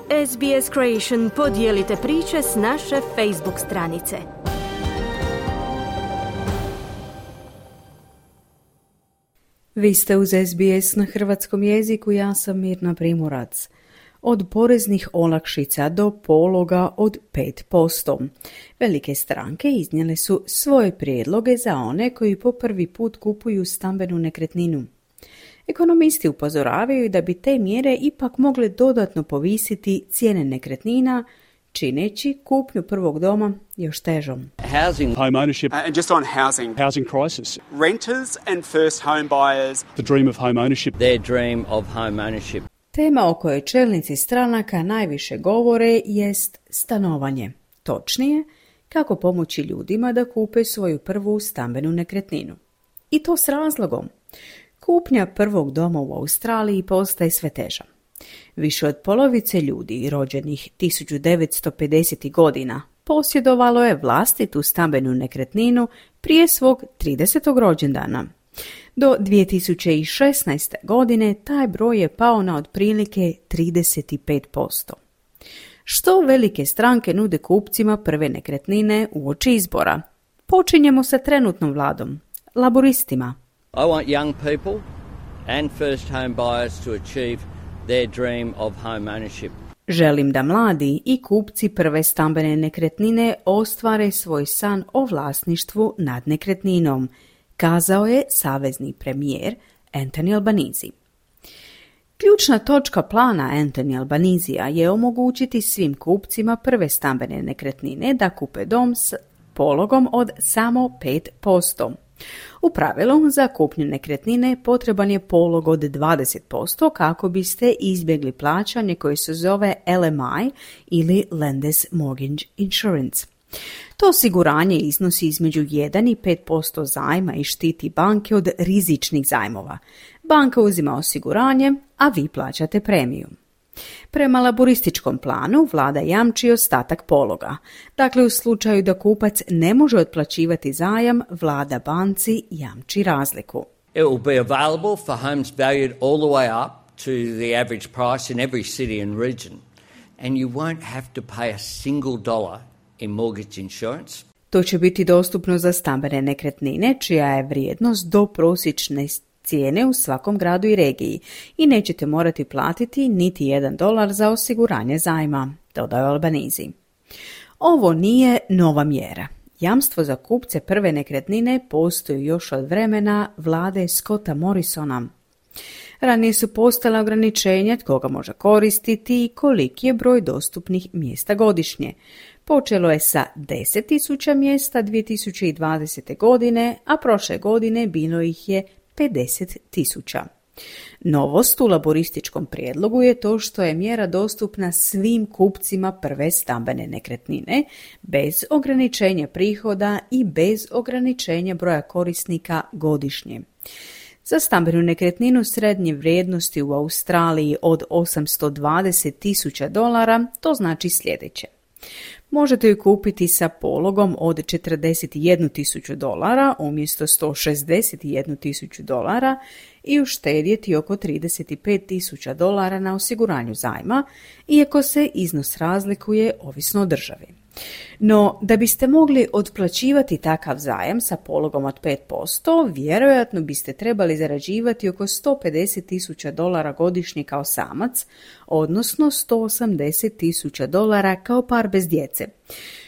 SBS Creation podijelite priče s naše Facebook stranice. Vi ste uz SBS na hrvatskom jeziku, ja sam Mirna Primorac. Od poreznih olakšica do pologa od 5%. Velike stranke iznijele su svoje prijedloge za one koji po prvi put kupuju stambenu nekretninu. Ekonomisti upozoravaju da bi te mjere ipak mogle dodatno povisiti cijene nekretnina, čineći kupnju prvog doma još težom. Housing, home ownership, and just on housing crisis, renters and first home buyers, the dream of home ownership, their dream of home ownership. Tema o kojoj čelnici stranaka najviše govore jest stanovanje. Točnije, kako pomoći ljudima da kupe svoju prvu stambenu nekretninu. I to s razlogom. Kupnja prvog doma u Australiji postaje sve teža. Više od polovice ljudi rođenih 1950. godina posjedovalo je vlastitu stambenu nekretninu prije svog 30. rođendana. Do 2016. godine taj broj je pao na otprilike 35%. Što velike stranke nude kupcima prve nekretnine uoči izbora? Počinjemo sa trenutnom vladom, laboristima. I want young people and first home buyers to achieve their dream of home ownership. Želim da mladi i kupci prve stambene nekretnine ostvare svoj san o vlasništvu nad nekretninom, kazao je savezni premijer Anthony Albanese. Ključna točka plana Anthony Albanesea je omogućiti svim kupcima prve stambene nekretnine da kupe dom s pologom od samo 5%. U pravilu, za kupnju nekretnine potreban je polog od 20% kako biste izbjegli plaćanje koje se zove LMI ili Lender's Mortgage Insurance. To osiguranje iznosi između 1 i 5% zajma i štiti banke od rizičnih zajmova. Banka uzima osiguranje, a vi plaćate premiju. Prema laborističkom planu vlada jamči ostatak pologa. Dakle, u slučaju da kupac ne može otplaćivati zajam, vlada banci jamči razliku. It will be available for homes valued all the way up to the average price in every city and region. And you won't have to pay a single dollar in mortgage insurance. To će biti dostupno za stambene nekretnine, čija je vrijednost do prosječne cijene u svakom gradu i regiji i nećete morati platiti niti $1 za osiguranje zajma, dodao Albanese. Ovo nije nova mjera. Jamstvo za kupce prve nekretnine postoji još od vremena vlade Scotta Morrisona. Ranije su postala ograničenja tko ga može koristiti i koliki je broj dostupnih mjesta godišnje. Počelo je sa 10.000 mjesta 2020. godine, a prošle godine bilo ih je 50.000. Novost u laborističkom prijedlogu je to što je mjera dostupna svim kupcima prve stambene nekretnine, bez ograničenja prihoda i bez ograničenja broja korisnika godišnje. Za stambenu nekretninu srednje vrijednosti u Australiji od $820,000 to znači sljedeće. Možete ju kupiti sa pologom od $41,000 umjesto $161,000 i uštedjeti oko $35,000 na osiguranju zajma, iako se iznos razlikuje ovisno o državi. No, da biste mogli otplaćivati takav zajam sa pologom od 5%, vjerojatno biste trebali zarađivati oko $150,000 godišnje kao samac, odnosno $180,000 kao par bez djece,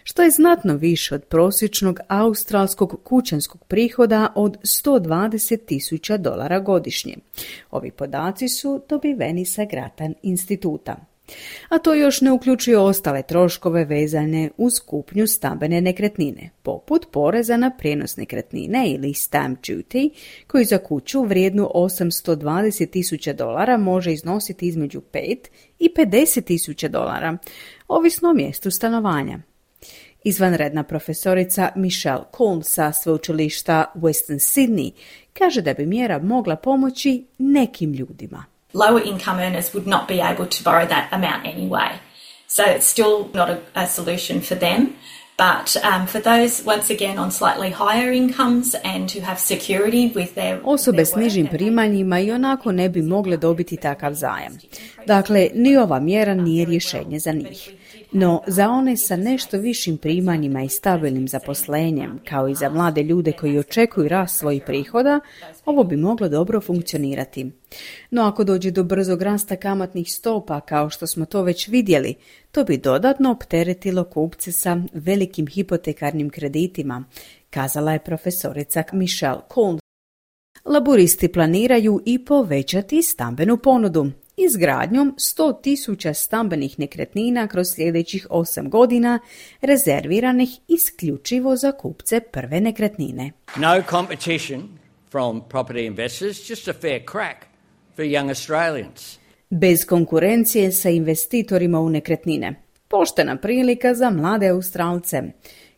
što je znatno više od prosječnog australskog kućanskog prihoda od $120,000 godišnje. Ovi podaci su dobiveni sa Grattan instituta. A to još ne uključuje ostale troškove vezane uz kupnju stambene nekretnine, poput poreza na prijenos nekretnine ili stamp duty, koji za kuću vrijednu $820,000 može iznositi između $5 i $50,000, ovisno o mjestu stanovanja. Izvanredna profesorica Michelle Cole sa sveučilišta Western Sydney kaže da bi mjera mogla pomoći nekim ljudima. Lower income earners would not be able to borrow that amount anyway. So it's still not a solution for them. But for those, once again, on slightly higher incomes and who have security with their Osobe s nižim primanjima i onako ne bi mogle dobiti takav zajam. Dakle, ni ova mjera nije rješenje za njih. No, za one sa nešto višim primanjima i stabilnim zaposlenjem, kao i za mlade ljude koji očekuju rast svojih prihoda, ovo bi moglo dobro funkcionirati. No, ako dođe do brzog rasta kamatnih stopa, kao što smo to već vidjeli, to bi dodatno opteretilo kupce sa velikim hipotekarnim kreditima, kazala je profesorica Michelle Coles. Laburisti planiraju i povećati stambenu ponudu izgradnjom 100.000 stambenih nekretnina kroz sljedećih 8 godina, rezerviranih isključivo za kupce prve nekretnine. No competition from property investors, just a fair crack for young Australians. Bez konkurencije sa investitorima u nekretnine. Poštena prilika za mlade Australce,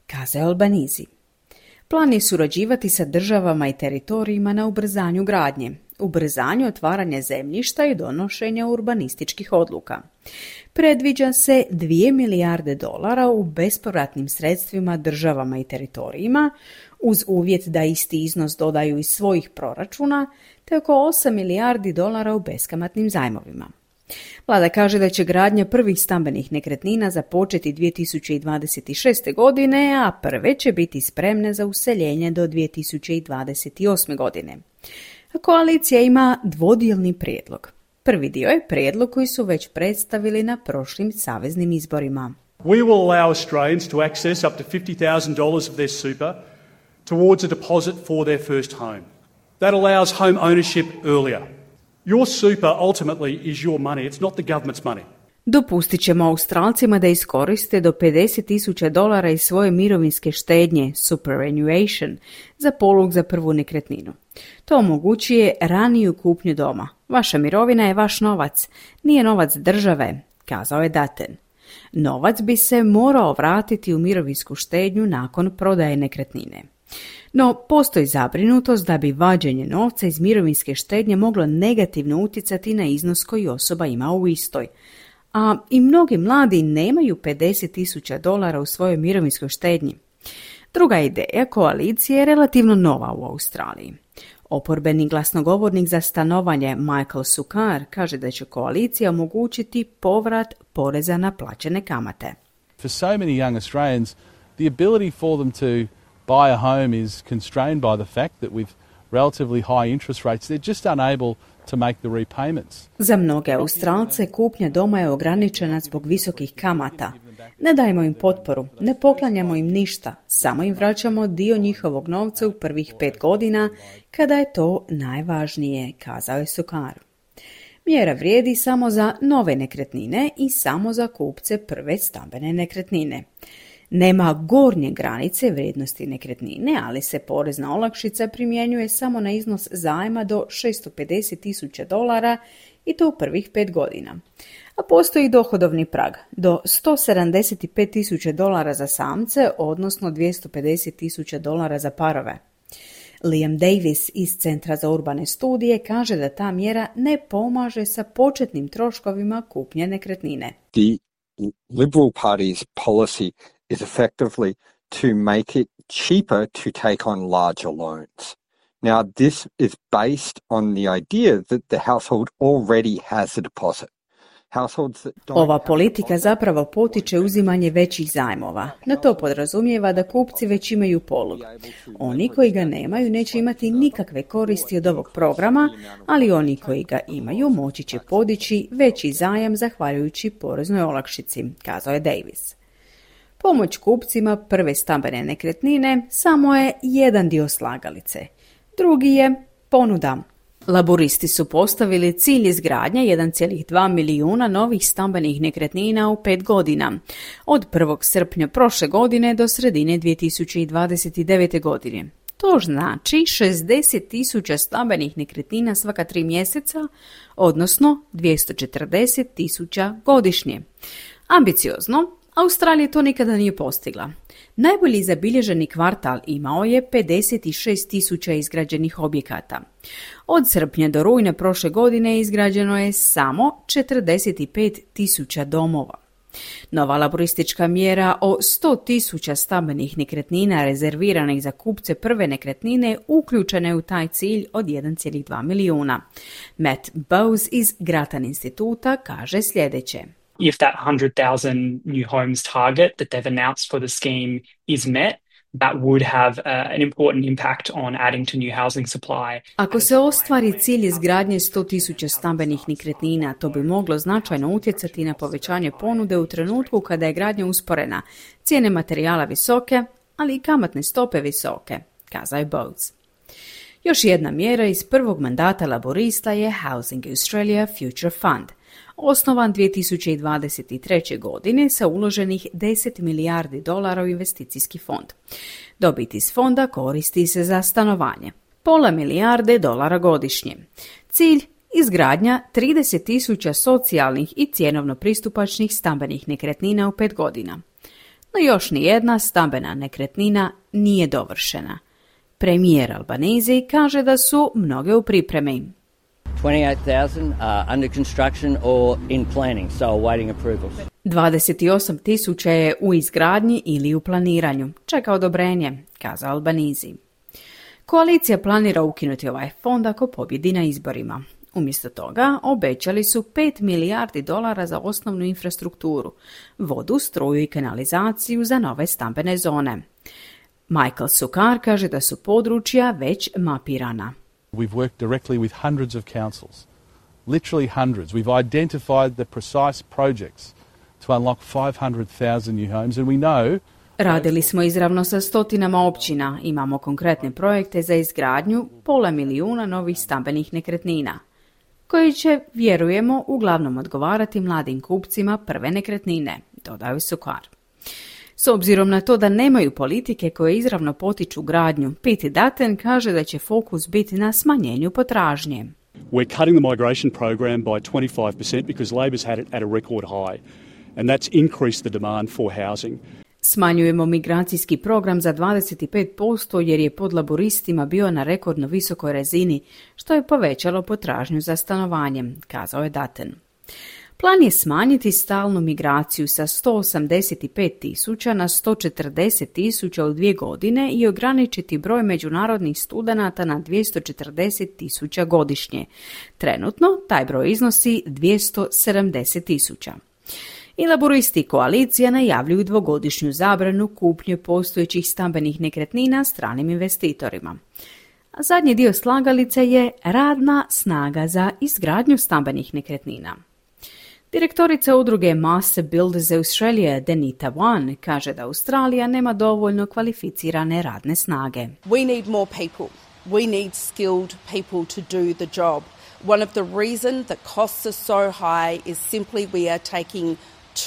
kazao Albanese. Plan je surađivati sa državama i teritorijima na ubrzanju gradnje, ubrzanju otvaranja zemljišta i donošenja urbanističkih odluka. Predviđa se $2 milijarde u bespovratnim sredstvima državama i teritorijima, uz uvjet da isti iznos dodaju iz svojih proračuna, te oko $8 milijardi u beskamatnim zajmovima. Vlada kaže da će gradnja prvih stambenih nekretnina započeti 2026. godine, a prve će biti spremne za useljenje do 2028. godine. Koalicija ima dvodijelni prijedlog. Prvi dio je prijedlog koji su već predstavili na prošlim saveznim izborima. We will allow Australians to access up to $50,000 of their super towards a deposit for their first home. That allows home ownership earlier. Your super ultimately is your money. It's not the government's money. Dopustit ćemo Australcima da iskoriste do $50,000 iz svoje mirovinske štednje, superannuation, za polog za prvu nekretninu. To omogućuje raniju kupnju doma. Vaša mirovina je vaš novac, nije novac države, kazao je Dutton. Novac bi se morao vratiti u mirovinsku štednju nakon prodaje nekretnine. No, postoji zabrinutost da bi vađenje novca iz mirovinske štednje moglo negativno utjecati na iznos koji osoba ima u istoj. A i mnogi mladi nemaju $50,000 u svojoj mirovinskoj štednji. Druga ideja koalicije je relativno nova u Australiji. Oporbeni glasnogovornik za stanovanje Michael Sukkar kaže da će koalicija omogućiti povrat poreza na plaćene kamate. For so many young Australians, the ability for them to buy a home is constrained by the fact that with relatively high interest rates, they're just unable to make the repayments. Za mnoge Australce kupnja doma je ograničena zbog visokih kamata. Ne dajemo im potporu, ne poklanjamo im ništa, samo im vraćamo dio njihovog novca u prvih 5 godina, kada je to najvažnije, kazao je Sukkar. Mjera vrijedi samo za nove nekretnine i samo za kupce prve stambene nekretnine. Nema gornje granice vrijednosti nekretnine, ali se porezna olakšica primjenjuje samo na iznos zajma do $650,000 i to u prvih 5 godina. A postoji dohodovni prag do $175,000 za samce, odnosno $250,000 za parove. Liam Davis iz Centra za urbane studije kaže da ta mjera ne pomaže sa početnim troškovima kupnje nekretnine. The Liberal Party's policy is effectively to make it cheaper to take on larger loans. Now, this is based on the idea that the household already has a deposit. Ova politika zapravo potiče uzimanje većih zajmova, no to podrazumijeva da kupci već imaju polog. Oni koji ga nemaju neće imati nikakve koristi od ovog programa, ali oni koji ga imaju moći će podići veći zajam zahvaljujući poreznoj olakšici, kazao je Davis. Pomoć kupcima prve stambene nekretnine samo je jedan dio slagalice. Drugi je ponuda. Laburisti su postavili cilj izgradnje 1,2 milijuna novih stambenih nekretnina u 5 godina, od 1. srpnja prošle godine do sredine 2029. godine. To znači 60,000 stambenih nekretnina svaka 3 mjeseca, odnosno 240,000 godišnje. Ambiciozno, Australija to nikada nije postigla. Najbolji zabilježeni kvartal imao je 56,000 izgrađenih objekata. Od srpnja do rujna prošle godine izgrađeno je samo 45,000 domova. Nova laboristička mjera o 100.000 stambenih nekretnina rezerviranih za kupce prve nekretnine uključena je u taj cilj od 1,2 milijuna. Matt Bowes iz Grattan instituta kaže sljedeće. If that 100,000 new homes target that they've announced for the scheme is met, that would have an important impact on adding to new housing supply. Ako se ostvari cilj izgradnje 100.000 stambenih nekretnina, to bi moglo značajno utjecati na povećanje ponude u trenutku kada je gradnja usporena, cijene materijala visoke, ali i kamatne stope visoke, kazao je Bowes. Još jedna mjera iz prvog mandata laborista je Housing Australia Future Fund, osnovan 2023. godine sa uloženih $10 milijardi u investicijski fond. Dobit iz fonda koristi se za stanovanje. $0,5 milijarde godišnje. Cilj izgradnja 30.000 socijalnih i cjenovno pristupačnih stambenih nekretnina u 5 godina. No još nijedna stambena nekretnina nije dovršena. Premijer Albanese kaže da su mnoge u pripremi. 28,000 are under construction or in planning, so awaiting approvals. 28.000 je u izgradnji ili u planiranju. Čeka odobrenje, kazao Albanese. Koalicija planira ukinuti ovaj fond ako pobjedi na izborima. Umjesto toga obećali su $5 milijardi za osnovnu infrastrukturu, vodu, struju i kanalizaciju za nove stambene zone. Michael Sukar kaže da su područja već mapirana. We've worked directly with hundreds of councils, literally hundreds. We've identified the precise projects to unlock 500,000 new homes and we know. Radili smo izravno sa stotinama općina, imamo konkretne projekte za izgradnju 500,000 novih stambenih nekretnina, koji će, vjerujemo, uglavnom odgovarati mladim kupcima prve nekretnine, dodaju Sukar. S obzirom na to da nemaju politike koje izravno potiču gradnju, Pete Dutton kaže da će fokus biti na smanjenju potražnje. We're cutting the migration program by 25% because Labor's had it at a record high, and that's increased the demand for housing. Smanjujemo migracijski program za 25% jer je pod laboristima bio na rekordno visokoj razini, što je povećalo potražnju za stanovanjem, kazao je Dutton. Plan je smanjiti stalnu migraciju sa 185.000 na 140.000 u 2 godine i ograničiti broj međunarodnih studenata na 240.000 godišnje. Trenutno taj broj iznosi 270.000. I laboristi koalicija najavljuju 2-godišnju zabranu kupnje postojećih stambenih nekretnina stranim investitorima. A zadnji dio slagalice je radna snaga za izgradnju stambenih nekretnina. Direktorica udruge Master Builders Australia, Denita Wan, kaže da Australija nema dovoljno kvalificirane radne snage. We need more people. We need skilled people to do the job. One of the reasons that costs are so high is simply we are taking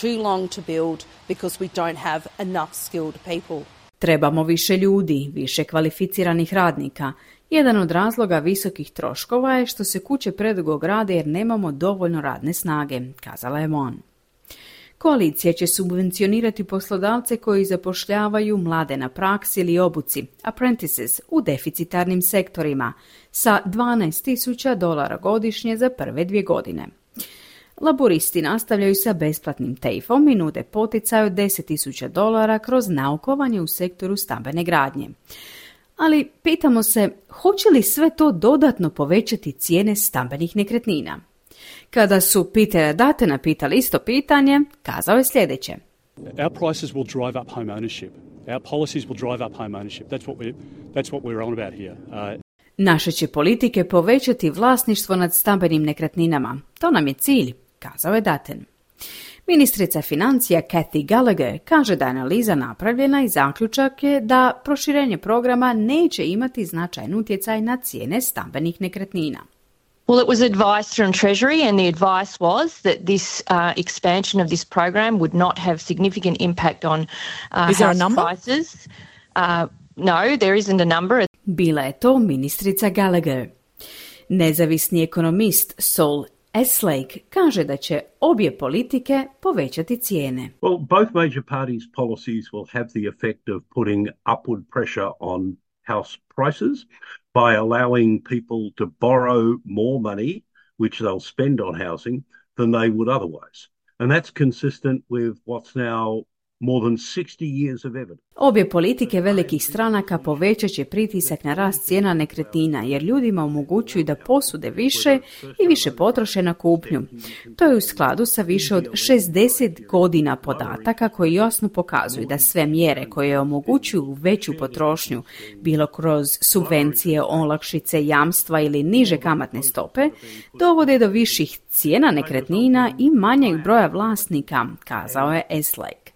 too long to build because we don't have enough skilled people. Trebamo više ljudi, više kvalificiranih radnika. Jedan od razloga visokih troškova je što se kuće predugo grade jer nemamo dovoljno radne snage, kazala je Mon. Koalicija će subvencionirati poslodavce koji zapošljavaju mlade na praksi ili obuci, apprentices, u deficitarnim sektorima, sa $12,000 godišnje za prve 2 godine. Laboristi nastavljaju sa besplatnim TAFE-om i nude poticaj od $10,000 kroz naukovanje u sektoru stambene gradnje. Ali pitamo se, hoće li sve to dodatno povećati cijene stambenih nekretnina? Kada su Petera Duttona pitali isto pitanje, kazao je sljedeće. Our prices will drive up home ownership. Our policies will drive up home ownership. That's what we're on about here. Naše će politike povećati vlasništvo nad stambenim nekretninama. To nam je cilj, kazao je Dutton. Ministrica financija Kathy Gallagher kaže da je analiza napravljena i zaključak je da proširenje programa neće imati značajan utjecaj na cijene stambenih nekretnina. Well, it was advice from Treasury and the advice was that this expansion of this program would not have significant impact on house prices. No, there isn't a number. Bila je to ministrica Gallagher. Nezavisni ekonomist Saul Eslake kaže da će obje politike povećati cijene. Well, both major parties' policies will have the effect of putting upward pressure on house prices by allowing people to borrow more money, which they'll spend on housing, than they would otherwise. And that's consistent with what's now more than 60 years of evidence. Obje politike velikih stranaka povećat će pritisak na rast cijena nekretnina jer ljudima omogućuju da posude više i više potroše na kupnju. To je u skladu sa više od 60 godina podataka koji jasno pokazuju da sve mjere koje omogućuju veću potrošnju, bilo kroz subvencije, olakšice, jamstva ili niže kamatne stope, dovode do viših cijena nekretnina i manjeg broja vlasnika, kazao je Eslake.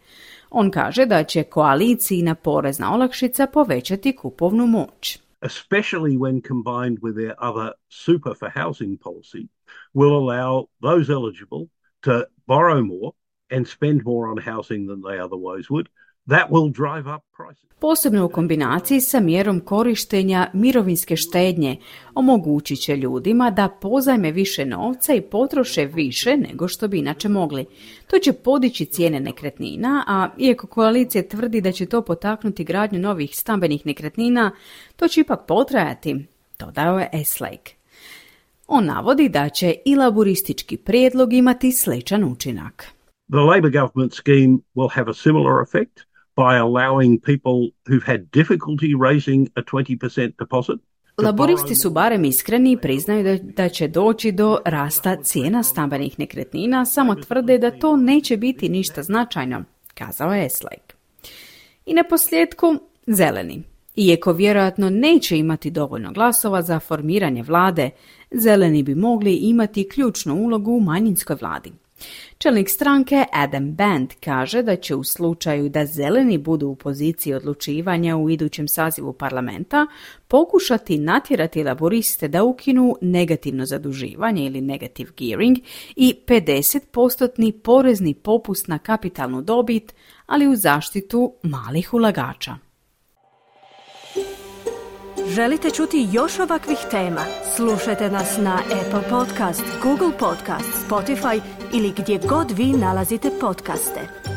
On kaže da će koalicijina porezna olakšica povećati kupovnu moć. Especially when combined with their other super for housing policy, will allow those eligible to borrow more and spend more on housing than they otherwise would. That will drive up prices. Posebno u kombinaciji sa mjerom korištenja mirovinske štednje omogućit će ljudima da pozajme više novca i potroše više nego što bi inače mogli. To će podići cijene nekretnina, a iako koalicija tvrdi da će to potaknuti gradnju novih stambenih nekretnina, to će ipak potrajati, dodao je Eslake. On navodi da će i laburistički prijedlog imati sličan učinak. The Labor government scheme will have a similar effect by allowing people who've had difficulty raising a 20% deposit. Laboristi su barem iskreni i priznaju da će doći do rasta cijena stambenih nekretnina, samo tvrde da to neće biti ništa značajno, kazao je Eslake. I na posljedku, zeleni. Iako vjerojatno neće imati dovoljno glasova za formiranje vlade, zeleni bi mogli imati ključnu ulogu u manjinskoj vladi. Čelnik stranke Adam Band kaže da će u slučaju da zeleni budu u poziciji odlučivanja u idućem sazivu parlamenta pokušati natjerati laboriste da ukinu negativno zaduživanje ili negative gearing i 50% porezni popust na kapitalnu dobit, ali u zaštitu malih ulagača. Želite čuti još ovakvih tema? Slušajte nas na Apple Podcast, Google Podcast, Spotify ili gdje god vi nalazite podcaste.